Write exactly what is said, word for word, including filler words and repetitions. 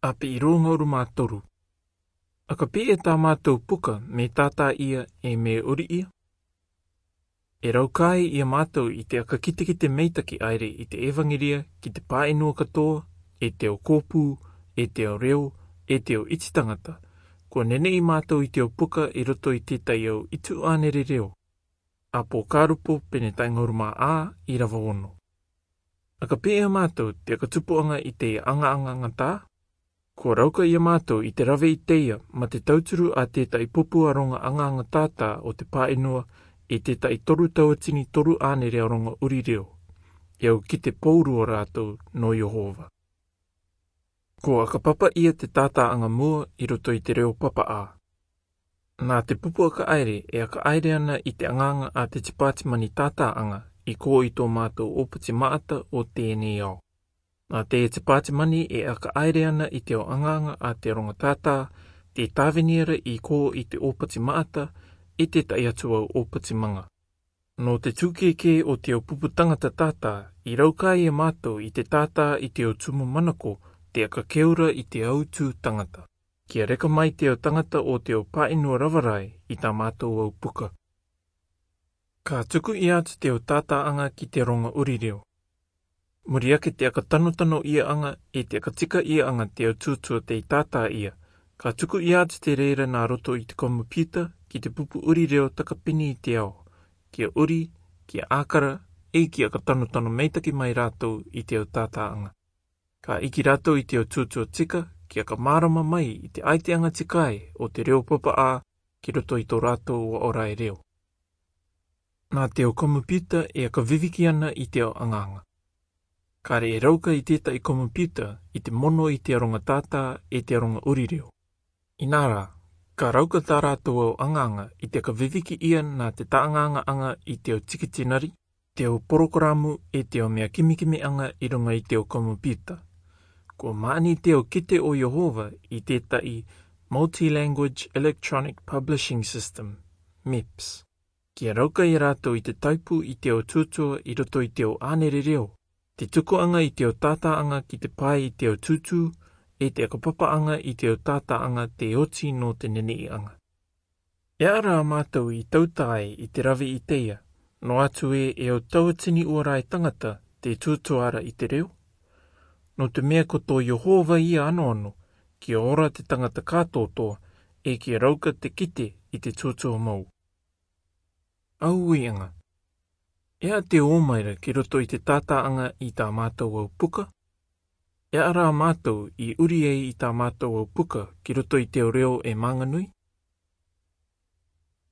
Ape irō ngauruma toru. Aka pē e tā mātou puka me tātā ia e me uri ia? E raukae ia mātou i te aka kitekite meitaki aere i te evangeria ki te pāʻenua katoa, e te ao kōpū, e te ao reo, e te ao iti tangata. Kua neneʻi mātou i te ao puka i roto i tētahi ao itu ʻānere reo. Apōkarupo pene tae ngauruma ā i rava ono. Aka pē ia mātou te aka tupuʻanga i te angaanga ngatā? Kua rauka ia mātou i te rave i teia ma te tauturu a tētahi pupu aronga angaanga tātā o te pāʻenua, i tētahi toru tauatini toru ʻānere aronga uri reo. E au kite pōrua rātou nō Iehova. Ko aka papa ia te tātāʻanga mua i roto i te reo papaʻā. Nā te pupu aka aere e aka aere ana i te angaanga a te tipātimani tātāʻanga i kō i tō mātou ōpati maʻata o tēnei ao. Nā te tipātimani e aka aere ana i te ao angaanga a te aronga tātā, te tāvini ra i kō i te ōpati maʻata, i tētahi atu ao ōpati manga. Nō te tūkēkē o te ao pupu tangata tātā, i raukae ia mātou i te tātā i te ao tumu manako, te aka keu ra i te ao tū tangata. Kia reka mai te ao tangata o te ao pāʻenua rava rae i tā mātou ao puka. Ka tuku ia atu te ao tātāʻanga ki te aronga uri reo. Muri ake te aka tanotano iaʻanga, e te aka tika iaʻanga te ao tūtua tei tātā ia, ka tuku ia atu te reira nā roto i te komipiuta ki te pupu uri reo takapini i te ao, kia uri, kia ʻākara, e kia aka tanotano meitaki mai rātou i te ao tātāʻanga. Ka iki rātou i te ao tūtua tika, kia aka mārama mai i te ʻaiteʻanga tikae o te reo papaʻā ki roto i tō rātou ao rae reo. Nā te ao komipiuta e aka viviki ana i te ao angaanga. Kāre e rauka i tētahi komipiuta i te mono i te aronga tātā e te aronga uri reo. Inā rā, ka rauka tā rātou ao angaanga i te aka viviki ia nā te tāʻangaangaʻanga i te ao tikitinari, te ao porokaramu e te ao mea kimikimiʻanga i runga i te ao komipiuta. Kua māʻani te ao kite o Iehova i tētahi Multi-Language Electronic Publishing System, MIPS. Kia rauka ia rātou i te taipu i te ao tūtua i roto i te ao ʻānere reo, te tukuʻanga i te ao tātāʻanga ki te pae i te ao tūtū, e te aka papaʻanga i te ao tātāʻanga te oti nō te neneʻiʻanga. E ara mātou i tautae i te rave i teia, noa atu ē e ao tauatini ua rae tangata te tūtua ra i te reo. Nō te mea ko tō Iehova ia anoano, kia ora te tangata kātōtōa, e kia rauka te kite i te tūtua mau. Au uiʻanga. E aha te ō mai ra ki roto i te tātāʻanga i tā mātou ao puka? E ara mātou i uri ai i tā mātou ao puka ki roto i te ao reo e mānganui?